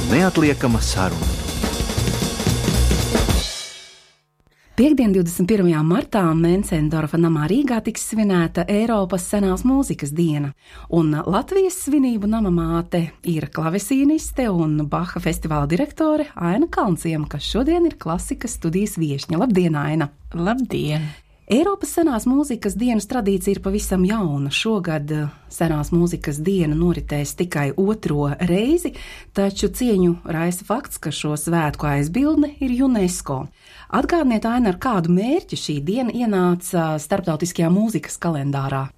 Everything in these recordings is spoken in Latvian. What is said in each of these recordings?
Neatliekama saruna. Piektdien, 21. martā Mencendorfa namā Rīgā tiks svinēta Eiropas senās mūzikas diena, un Latvijas svinību nama māte ir klavesīniste un Baha festivāla direktore Aina Kalnciema, kas šodien ir klasikas studijas viešņa. Labdien, Aina! Labdien! Eiropas senās mūzikas dienas tradīcija ir pavisam jauna. Šogad senās mūzikas diena noritēs tikai 2. reizi, taču cieņu raisa fakts, ka šo svētku aizbildne ir UNESCO. Atgādniet, Aina, ar kādu mērķi šī diena ienāca starptautiskajā mūzikas kalendārā?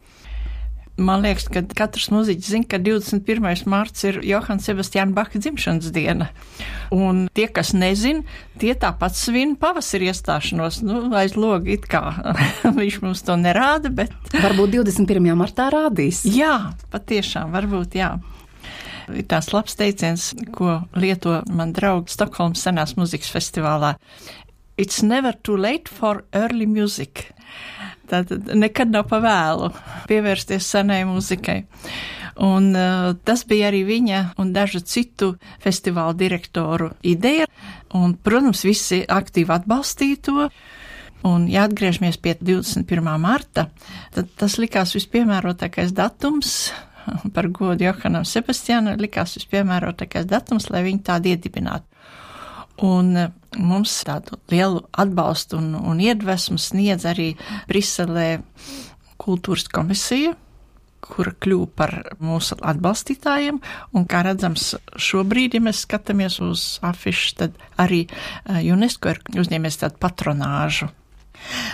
Man liekas, ka katrs mūziķis zina, ka 21. marts ir Johana Sebastiāna Baha dzimšanas diena. Un tie, kas nezin, tie tāpat svin pavasari iestāšanos. Aiz loga it kā viņš mums to nerāda, bet... Varbūt 21. martā rādīs. Jā, patiešām, varbūt jā. Ir tās labs teiciens, ko lieto man draugi Stokholmas senās mūzikas festivālā. It's never too late for early music. Tātad nekad nav pa vēlu pievērsties senai mūzikai. Un tas bija arī viņa un dažu citu festivālu direktoru ideja. Un, protams, visi aktīvi atbalstīja to. Un, ja atgriežamies pie 21. marta, tad tas likās vispiemērotākais datums, par godu Johanam Sebastiānam, likās vispiemērotākais datums, lai viņu tādu iedibinātu. Un mums tādu lielu atbalstu un iedvesmu sniedz arī Briselē kultūras komisija, kura kļuva par mūsu atbalstītājiem, un kā redzams šobrīd, ja mēs skatāmies uz afišu, tad arī UNESCO ir uzņēmies tādu patronāžu.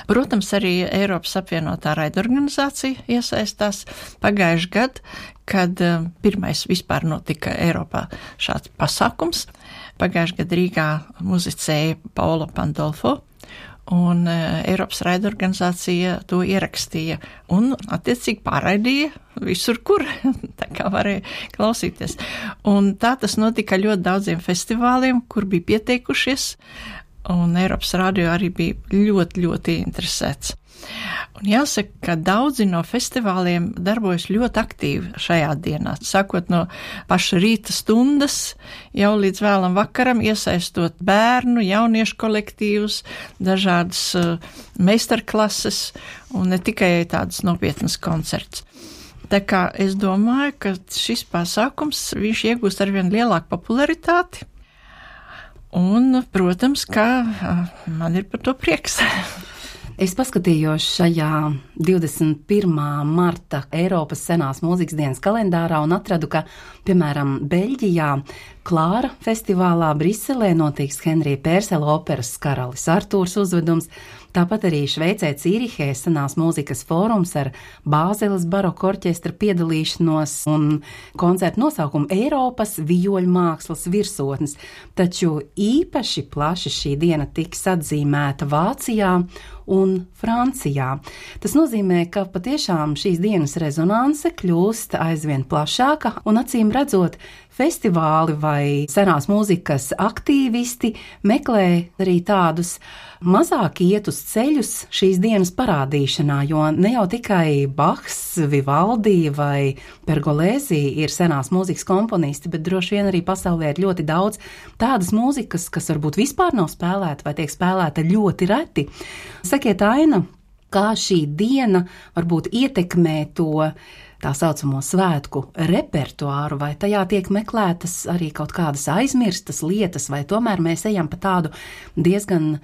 Protams, arī Eiropas apvienotā raidorganizācija iesaistās pagājuši gadu, kad pirmais vispār notika Eiropā šāds pasākums. Pagājuši gadu Rīgā muzicēja Paolo Pandolfo, un Eiropas raidorganizācija to ierakstīja un attiecīgi pārraidīja visur, kur tā kā varēja klausīties. Un tā tas notika ļoti daudziem festivāliem, kur bija pieteikušies, un Eiropas radio arī bija ļoti, ļoti interesēts. Un jāsaka, ka daudzi no festivāliem darbojas ļoti aktīvi šajā dienā, sākot no paša rīta stundas, jau līdz vēlam vakaram, iesaistot bērnu, jauniešu kolektīvus, dažādas meistarklases un ne tikai tādas nopietnas koncerts. Tā kā es domāju, ka šis pasākums, viņš iegūst arvien lielāku popularitāti, un, protams, ka man ir par to prieks. Es paskatījos šajā 21. marta Eiropas senās mūzikas dienas kalendārā un atradu, ka, piemēram, Beļģijā Klāra festivālā Briselē notiks Henrija Pērsela operas Karalis Artūrs uzvedums, tāpat arī Šveicē Cīrihē senās mūzikas fórums ar Bāzeles baroka orķestra piedalīšanos un koncertu nosaukumu Eiropas vijoļu mākslas virsotnes, taču īpaši plaši šī diena tiks atzīmēta Vācijā un Francijā. Tas nozīmē, ka patiešām šīs dienas rezonanse kļūst aizvien plašāka un acīm redzot, festivāli vai senās mūzikas aktīvisti meklē arī tādus mazāk ietus ceļus šīs dienas parādīšanā, jo ne jau tikai Bachs, Vivaldi vai Pergolēzi ir senās mūzikas komponisti, bet droši vien arī pasaulē ir ļoti daudz tādas mūzikas, kas varbūt vispār nav spēlēta vai tiek spēlēta ļoti reti. Sakiet, Aina, kā šī diena varbūt ietekmē to tā saucamo svētku repertuāru, vai tajā tiek meklētas arī kaut kādas aizmirstas lietas, vai tomēr mēs ejam pa tādu diezgan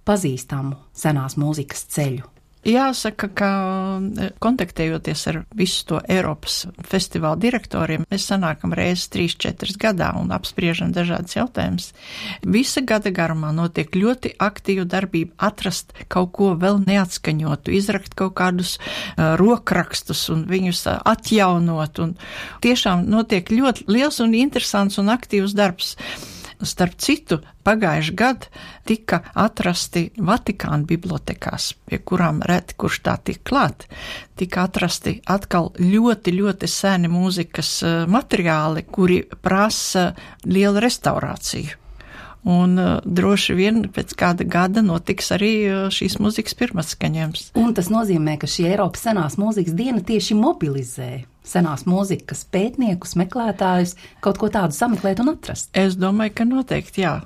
pazīstamu senās mūzikas ceļu? Jāsaka, ka kontaktējoties ar visu to Eiropas festivālu direktoriem, mēs sanākam reizes 3-4 gadā un apspriežam dažādas jautājumus. Visa gada garumā notiek ļoti aktīva darbība atrast kaut ko vēl neatskaņotu, izrakt kaut kādus rokrakstus un viņus atjaunot. Un tiešām notiek ļoti liels un interesants un aktīvs darbs. Starp citu, pagājuši gadu tika atrasti Vatikāna bibliotekās, pie kurām reti kurš tā tik klāt, tika atrasti atkal ļoti, ļoti seni mūzikas materiāli, kuri prasa lielu restaurāciju. Un droši vien pēc kāda gada notiks arī šīs mūzikas pirmatskaņojums. Un tas nozīmē, ka šī Eiropas senās mūzikas diena tieši mobilizē senās mūzikas pētniekus, meklētājus, kaut ko tādu sameklēt un atrast. Es domāju, ka noteikti jā.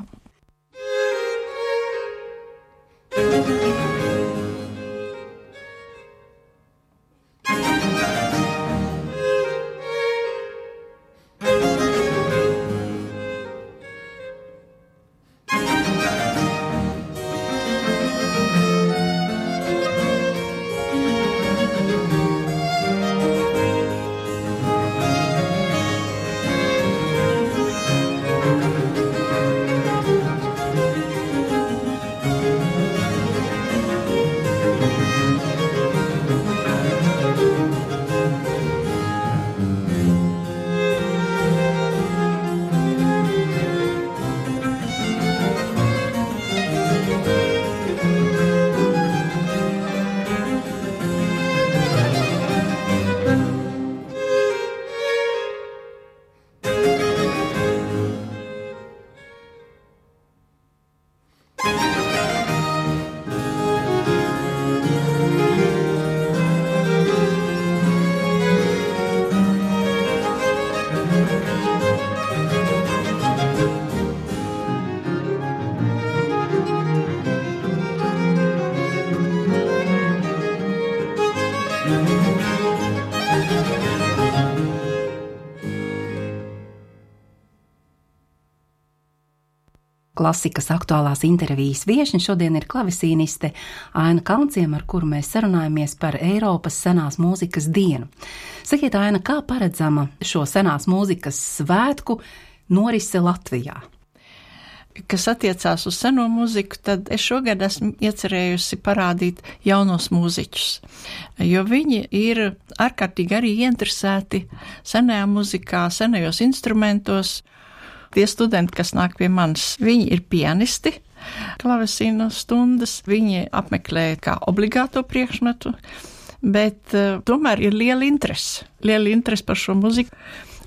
Klasikas aktuālās intervijas viešņa šodien ir klavesīniste Aina Kaunciema, ar kuru mēs sarunājamies par Eiropas senās mūzikas dienu. Sakiet, Aina, kā paredzama šo senās mūzikas svētku norise Latvijā? Kas attiecās uz seno mūziku, tad es šogad esmu iecerējusi parādīt jaunos mūziķus, jo viņi ir ārkārtīgi arī ieinteresēti senajā mūzikā, senajos instrumentos. Tie studenti, kas nāk pie manis, viņi ir pianisti, klavesīnu stundas, viņi apmeklē kā obligāto priekšmetu, bet tomēr ir liela interese par šo muziku,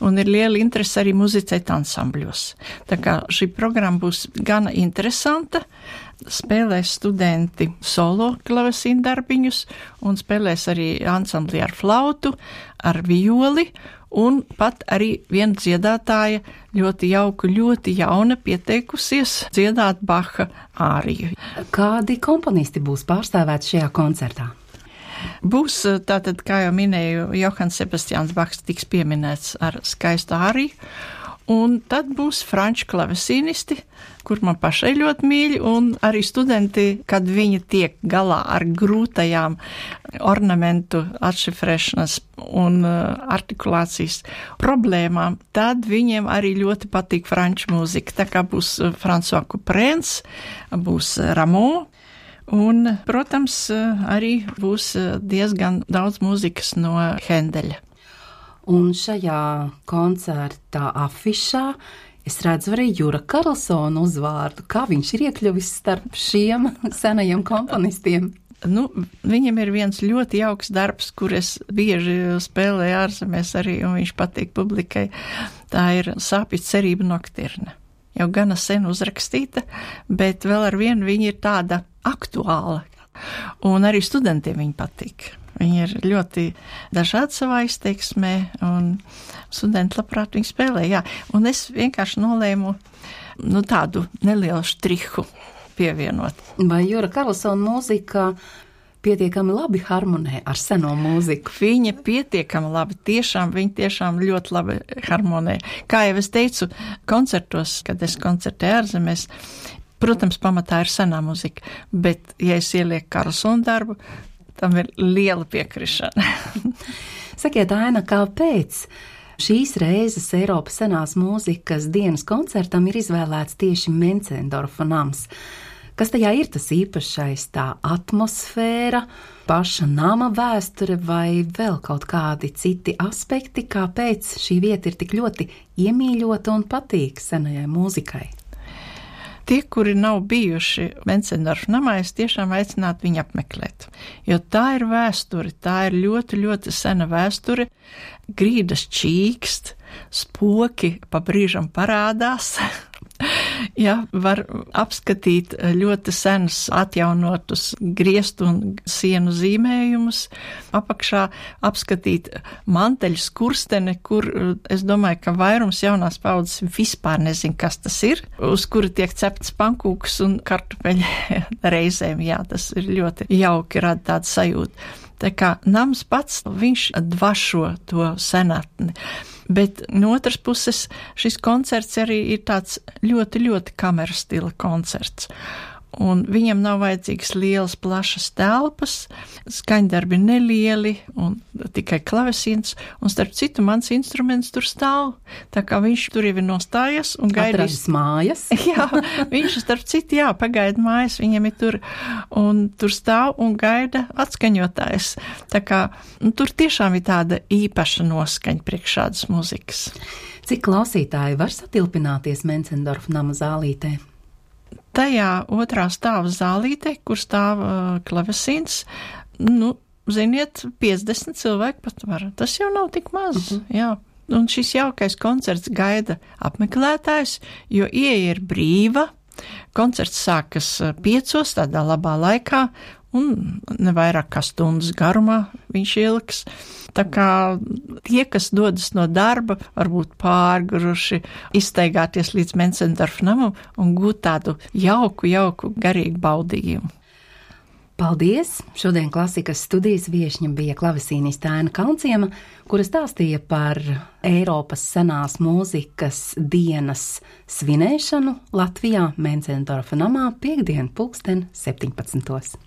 un ir liela interese arī muzicēt ansambļos. Tā kā šī programma būs gana interesanta, spēlēs studenti solo klavesīnu darbiņus, un spēlēs arī ansamblī ar flautu, ar violi, un pat arī viena dziedātāja ļoti jauka, ļoti jauna pieteikusies dziedāt Baha āriju. Kādi komponisti būs pārstāvēti šajā koncertā? Būs tātad, kā jau minēju, Johans Sebastians Bachs tiks pieminēts ar skaistu āriju, un tad būs franču klavesīnisti, kur man pašai ļoti mīļi, un arī studenti, kad viņi tiek galā ar grūtajām ornamentu atšifrēšanas un artikulācijas problēmām, tad viņiem arī ļoti patīk franču mūzika. Tā kā būs François Couperens, būs Rameau, un, protams, arī būs diezgan daudz mūzikas no Hendeļa. Un šajā koncertā afišā es redzu arī Jura Karlsona uzvārdu. Kā viņš ir iekļuvis starp šiem senajiem komponistiem? Viņam ir viens ļoti jauks darbs, kur es bieži spēlēju ārzemēs arī, un viņš patīk publikai. Tā ir Sāpju cerība noktirne. Jau gana sen uzrakstīta, bet vēl ar vienu viņa ir tāda aktuāla. Un arī studentiem viņa patīk. Viņi ir ļoti dažādi savā izteiksmē, un studenti labprāt viņi spēlē, jā. Un es vienkārši nolēmu tādu nelielu štrihu pievienot. Vai Jura Karlsona mūzika pietiekami labi harmonē ar seno mūziku? Viņa pietiekami labi, viņa tiešām ļoti labi harmonē. Kā jau es teicu, koncertos, kad es koncertēju ārzemēs, protams, pamatā ir senā mūzika, bet, ja es ielieku Karlsona darbu, tam ir liela piekrišana. Sakiet, Aina, kāpēc šīs reizes Eiropas senās mūzikas dienas koncertam ir izvēlēts tieši Mencendorfa nams? Kas tajā ir tas īpašais, tā atmosfēra, paša nama vēsture vai vēl kaut kādi citi aspekti, kāpēc šī vieta ir tik ļoti iemīļota un patīk senajai mūzikai? Tie, kuri nav bijuši Mencendorfa namā, es tiešām aicinātu viņu apmeklēt, jo tā ir vēsture, tā ir ļoti, ļoti sena vēsture, grīdas čīkst, spoki pa brīžam parādās, Jā, var apskatīt ļoti senus atjaunotus griestu un sienu zīmējumus. Apakšā apskatīt manteļu skursteni, kur es domāju, ka vairums jaunās paudzes vispār nezin, kas tas ir, uz kura tiek cepts pankūks un kartupeļi reizēm. Jā, tas ir ļoti jauki, rada tādu sajūtu. Tā kā nams pats, viņš dvašo to senatni. Bet no otras puses šis koncerts arī ir tāds ļoti, ļoti kamera stila koncerts. Un viņam nav vajadzīgas lielas, plašas telpas, skaņdarbi nelieli un tikai klavesīns, un starp citu mans instruments tur stāv, tā kā viņš tur jau ir nostājies un gaidīs. Atradis mājas? Jā, viņš starp citu, jā, pagaida mājas, viņam ir tur, un tur stāv un gaida atskaņotājs. Tā kā tur tiešām ir tāda īpaša noskaņa priekš šādas muzikas. Cik klausītāji var satilpināties Mencendorfa nama zālītē? Tajā otrā stāva zālītē, kur stāv klavesīns, ziniet, 50 cilvēki pat var. Tas jau nav tik maz, jā. Un šis jaukais koncerts gaida apmeklētājs, jo ieeja ir brīva. Koncerts sākas 5, tādā labā laikā, un ne vairāk kā stundas garumā viņš ilgs. Tā kā tie, kas dodas no darba, varbūt pārguruši, izstaigāties līdz Mencendorfa namam un gūt tādu jauku, garīgu baudījumu. Paldies! Šodien klasikas studijas viešņa bija klavesīniste Aina Kaunciema, kura stāstīja par Eiropas senās mūzikas dienas svinēšanu Latvijā Mencendorfa namā 5. 17.